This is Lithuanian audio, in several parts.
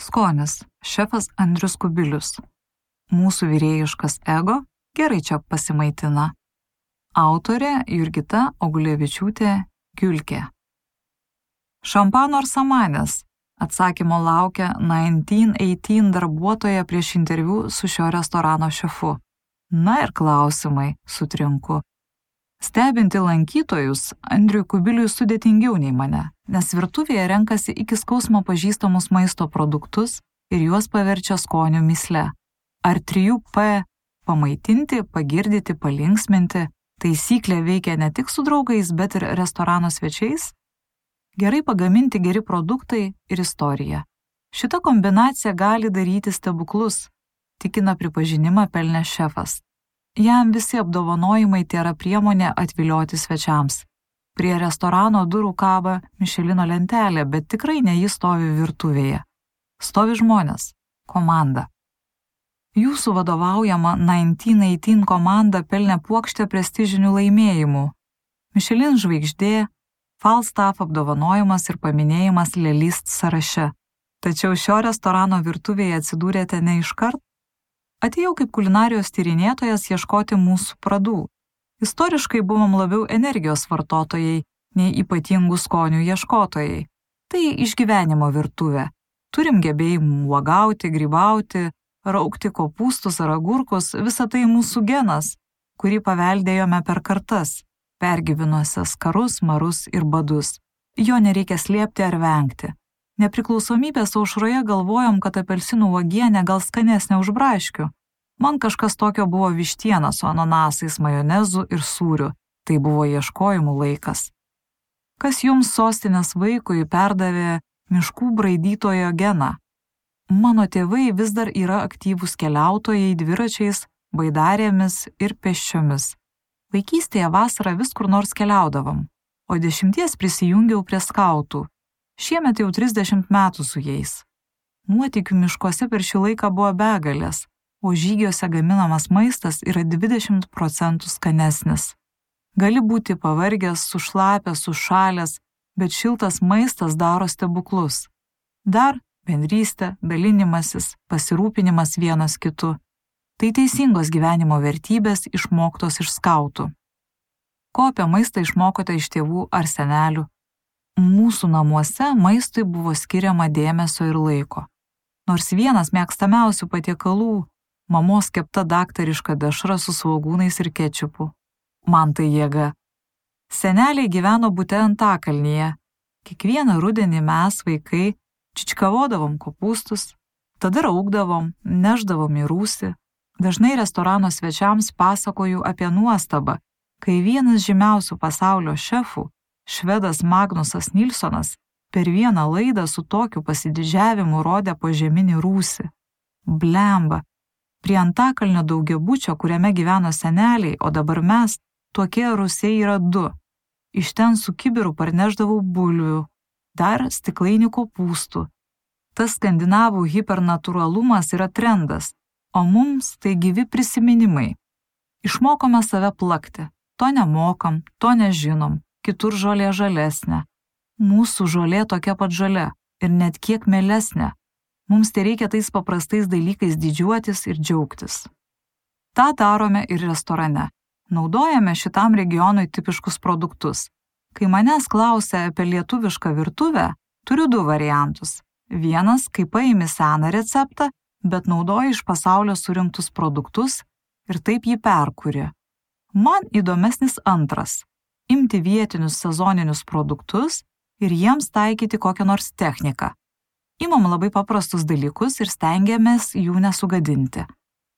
Skonis – šefas Andrius Kubilius. Mūsų vyrėjiškas ego gerai čia pasimaitina. Autorė Jurgita Ogulevičiūtė Giulkė. Šampano ar samanės? Atsakymo laukia 1918 darbuotoja prieš interviu su šio restorano šefu. Na ir klausimai, sutrinku. Stebinti lankytojus, Andriui Kubiliui sudėtingiau nei mane, nes virtuvėje renkasi iki skausmo pažįstamus maisto produktus ir juos paverčia skonių mįsle. Ar 3P – pamaitinti, pagirdyti, palinksminti – taisyklė veikia ne tik su draugais, bet ir restorano svečiais? Gerai pagaminti geri produktai ir istorija. Šita kombinacija gali daryti stebuklus, tikina pripažinimą pelnęs šefas. Jam visi apdovanojimai tėra priemonė atvilioti svečiams. Prie restorano durų kaba Mišelino lentelė, bet tikrai ne ji stovi virtuvėje. Stovi žmonės, komanda. Jūsų vadovaujama 1918 komanda pelnė puokštę prestižinių laimėjimų. Mišelin žvaigždė, Falstaff apdovanojimas ir paminėjimas Lelist sąraše. Tačiau šio restorano virtuvėje atsidūrėte ne iškart. Atėjau kaip kulinarijos tyrinėtojas ieškoti mūsų pradų. Istoriškai buvom labiau energijos vartotojai, nei ypatingų skonių ieškotojai. Tai išgyvenimo virtuvė. Turim gebėjimų uogauti, grybauti, raukti kopūstus ar agurkus, visa tai mūsų genas, kurį paveldėjome per kartas, pergyvenusias karus, marus ir badus. Jo nereikia slėpti ar vengti. Nepriklausomybės aušroje galvojom, kad apelsinų uogienė gal skanesnė už braškių. Man kažkas tokio buvo vištiena su ananasais, majonezu ir sūriu. Tai buvo ieškojimų laikas. Kas jums sostinės vaikui perdavė miškų braidytojo geną? Mano tėvai vis dar yra aktyvūs keliautojai dviračiais, baidarėmis ir pėsčiomis. Vaikystėje vasarą vis kur nors keliaudavom, o 10 prisijungiau prie skautų. Šiemet jau 30 metų su jais. Nuotykių miškuose per šį laiką buvo begalės, o žygiuose gaminamas maistas yra 20% skanesnis. Gali būti pavargęs, sušlapęs, sušalęs, bet šiltas maistas daro stebuklus. Dar bendrystė, dalinimasis, pasirūpinimas vienas kitu. Tai teisingos gyvenimo vertybės išmoktos iš skautų. Ko apie maistą išmokote iš tėvų ar senelių? Mūsų namuose maistui buvo skiriama dėmesio ir laiko. Nors vienas mėgstamiausių patiekalų – mamos kepta daktariška dešra su svogūnais ir kečupu. Man tai jėga. Seneliai gyveno bute Antakalnyje. Kiekvieną rudenį mes, vaikai, čičkavodavom kopūstus, tada raugdavom, neždavom į rūsį. Dažnai restorano svečiams pasakoju apie nuostabą, kai vienas žymiausių pasaulio šefų, švedas Magnusas Nilsonas, per vieną laidą su tokiu pasididžiavimu rodė požeminį rūsį. Blemba. Prie Antakalnio daugiabučio, kuriame gyveno seneliai, o dabar mes, tokie rūsiai yra 2. Iš ten su kibiru parnešdavau bulvių, dar stiklainį kopūstų. Tas skandinavų hipernatūralumas yra trendas, o mums tai gyvi prisiminimai. Išmokome save plakti. To nemokam, to nežinom. Kitur žolė žalesnė. Mūsų žolė tokia pat žalia ir net kiek mielesnė. Mums tai reikia tais paprastais dalykais didžiuotis ir džiaugtis. Ta darome ir restorane. Naudojame šitam regionui tipiškus produktus. Kai manęs klausia apie lietuvišką virtuvę, turiu 2 variantus. Vienas, kai paimi seną receptą, bet naudoji iš pasaulio surinktus produktus ir taip jį perkuri. Man įdomesnis antras. Imti vietinius sezoninius produktus ir jiems taikyti kokią nors techniką. Imam labai paprastus dalykus ir stengiamės jų nesugadinti.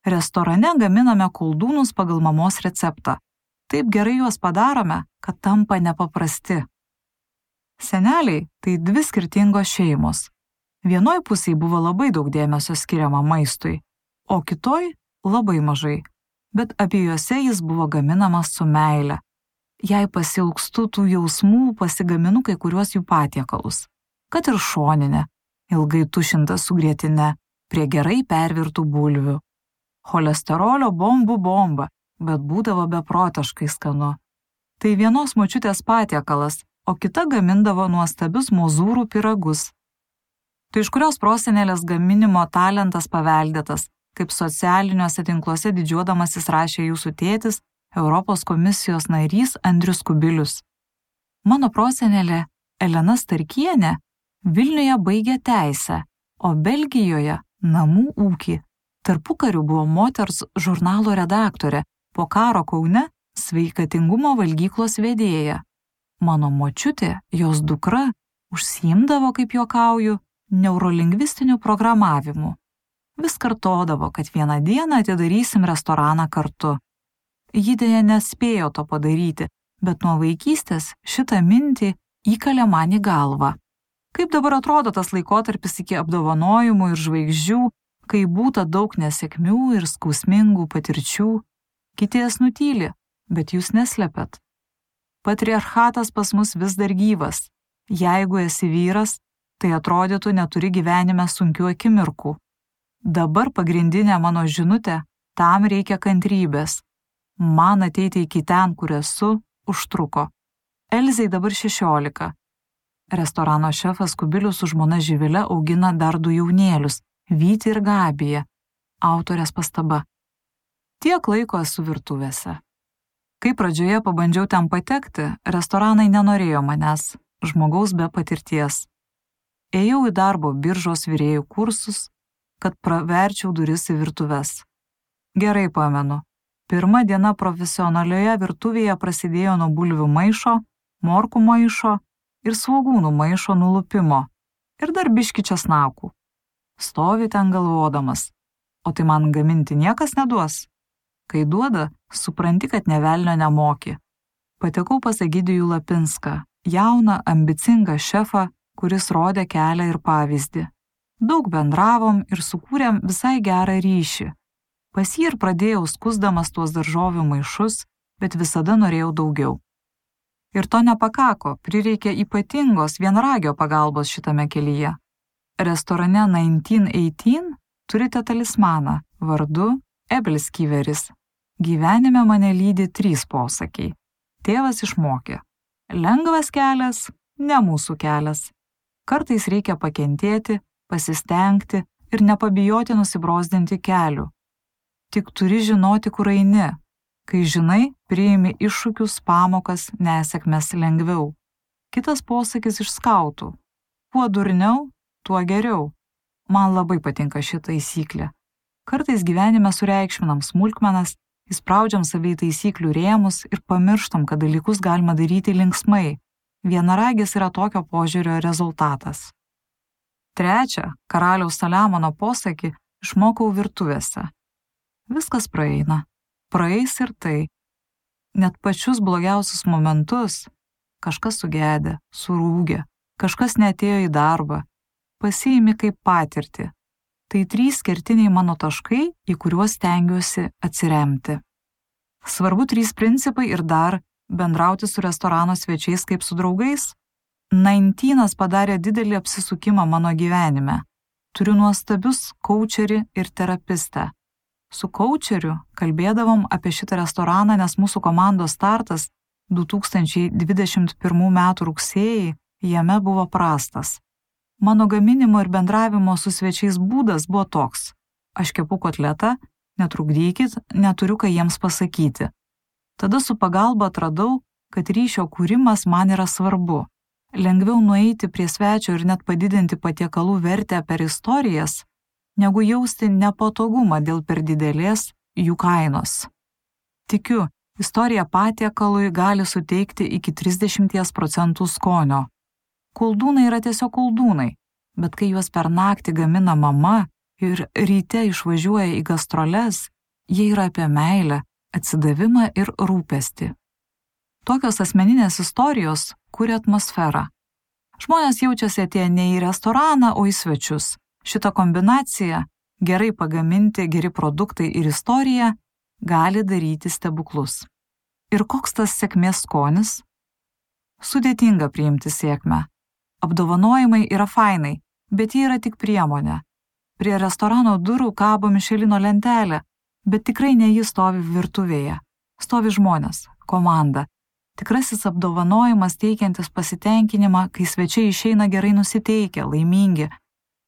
Restorane gaminame koldūnus pagal mamos receptą. Taip gerai juos padarome, kad tampa nepaprasti. Seneliai – tai 2 skirtingos šeimos. Vienoj pusėj buvo labai daug dėmesio skiriama maistui, o kitoj labai mažai, bet abiejuose jis buvo gaminamas su meile. Jei pasilgstu tų jausmų, pasigaminu kai kuriuos jų patiekalus. Kad ir šoninė, ilgai tušinta su grietine, prie gerai pervirtų bulvių. Cholesterolio bombų bomba, bet būdavo beprotiškai skanu. Tai vienos močiutės patiekalas, o kita gamindavo nuostabius mozūrų pyragus. Tu iš kurios prosenelės gaminimo talentas paveldėtas, kaip socialiniuose tinkluose didžiuodamasis rašė jūsų tėtis, Europos komisijos narys Andrius Kubilius. Mano prosenelė Elena Starkienė Vilniuje baigė teisę, o Belgijoje namų ūkį. Tarpukariu buvo moters žurnalo redaktorė, po karo Kaune sveikatingumo valgyklos vedėja. Mano močiutė, jos dukra, užsiimdavo, kaip juokauju, neurolingvistiniu programavimu. Vis kartodavo, kad vieną dieną atidarysim restoraną kartu. Ji dėja nespėjo to padaryti, bet nuo vaikystės šitą mintį įkalė man į galvą. Kaip dabar atrodo tas laikotarpis iki apdovanojimų ir žvaigždžių, kai būta daug nesėkmių ir skausmingų patirčių. Kiti jas nutyli, bet jūs neslepiat. Patriarchatas pas mus vis dar gyvas. Jeigu esi vyras, tai atrodytų neturi gyvenime sunkių akimirkų. Dabar pagrindinė mano žinutė, tam reikia kantrybės. Man ateiti iki ten, kur esu, užtruko. Elzei dabar 16. Restorano šefas Kubilius su žmona Živile augina dar 2 jaunėlius, Vytį ir Gabiją. Autorės pastaba. Tiek laiko esu virtuvėse. Kai pradžioje pabandžiau ten patekti, restoranai nenorėjo manęs, žmogaus be patirties. Ėjau į darbo biržos virėjų kursus, kad praverčiau duris į virtuves. Gerai pamenu, pirma diena profesionalioje virtuvėje prasidėjo nuo bulvių maišo, morkų maišo ir svogūnų maišo nulupimo ir dar biški česnakų. Stovi ten galvodamas, o tai man gaminti niekas neduos. Kai duoda, supranti, kad nė velnio nemoki. Patekau pas Egidijų Lapinską, jauną, ambicingą šefą, kuris rodė kelią ir pavyzdį. Daug bendravom ir sukūrėm visai gerą ryšį. Pas jį ir pradėjau skusdamas tuos daržovių maišus, bet visada norėjau daugiau. Ir to nepakako, prireikė ypatingos vienragio pagalbos šitame kelyje. Restorane 1918 turite talismaną vardu Ebelskiveris. Gyvenime mane lydi 3 posakiai. Tėvas išmokė. Lengvas kelias, ne mūsų kelias. Kartais reikia pakentėti, pasistengti ir nepabijoti nusibrozdinti kelių. Tik turi žinoti, kur eini. Kai žinai, priimi iššūkius, pamokas, nesėkmes lengviau. Kitas posakis iš skautų. Kuo durniau, tuo geriau. Man labai patinka ši taisyklė. Kartais gyvenime sureikšminam smulkmenas, įspraudžiam savį taisyklių rėmus ir pamirštam, kad dalykus galima daryti linksmai. Vienaragis yra tokio požiūrio rezultatas. 3. Karaliaus Saliamono posakį išmokau virtuvėse. Viskas praeina. Praeis ir tai. Net pačius blogiausius momentus. Kažkas sugedė, surūgė, kažkas neatėjo į darbą. Pasiimi kaip patirtį. Tai 3 kertiniai mano taškai, į kuriuos stengiuosi atsiremti. Svarbu 3 principai ir dar bendrauti su restorano svečiais kaip su draugais. 19 padarė didelį apsisukimą mano gyvenime. Turiu nuostabius kaučerį ir terapistę. Su kaučeriu kalbėdavom apie šitą restoraną, nes mūsų komandos startas 2021 m. rugsėjį jame buvo prastas. Mano gaminimo ir bendravimo su svečiais būdas buvo toks. Aš kepu kotletą, netrukdykit, neturiu ką jiems pasakyti. Tada su pagalba atradau, kad ryšio kūrimas man yra svarbu. Lengviau nueiti prie svečio ir net padidinti patiekalų vertę per istorijas, negu jausti nepatogumą dėl per didelės jų kainos. Tikiu, istorija patiekalui gali suteikti iki 30% skonio. Koldūnai yra tiesiog koldūnai, bet kai juos per naktį gamina mama ir ryte išvažiuoja į gastroles, jie yra apie meilę, atsidavimą ir rūpestį. Tokios asmeninės istorijos kuria atmosferą. Žmonės jaučiasi atėję ne į restoraną, o į svečius. Šita kombinacija, gerai pagaminti, geri produktai ir istorija, gali daryti stebuklus. Ir koks tas sėkmės skonis? Sudėtinga priimti sėkmę. Apdovanojimai yra fainai, bet jie yra tik priemonė. Prie restorano durų kabo Mišelino lentelė, bet tikrai ne ji stovi virtuvėje. Stovi žmonės, komanda. Tikrasis apdovanojimas teikiantis pasitenkinimą, kai svečiai išeina gerai nusiteikę, laimingi.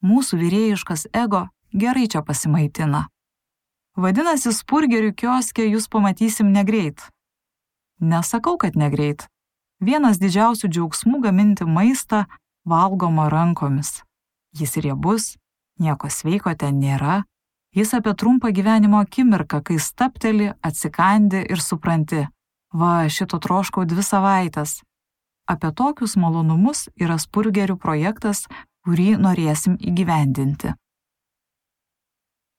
Mūsų vyrėjiškas ego gerai čia pasimaitina. Vadinasi, spurgerių kioske jūs pamatysim negreit. Nesakau, kad negreit. Vienas didžiausių džiaugsmų gaminti maistą valgoma rankomis. Jis riebus, nieko sveiko ten nėra. Jis apie trumpą gyvenimo akimirką, kai stapteli, atsikandi ir supranti. Va, šito troškau 2 savaites. Apie tokius malonumus yra spurgerių projektas, kurį norėsim įgyvendinti.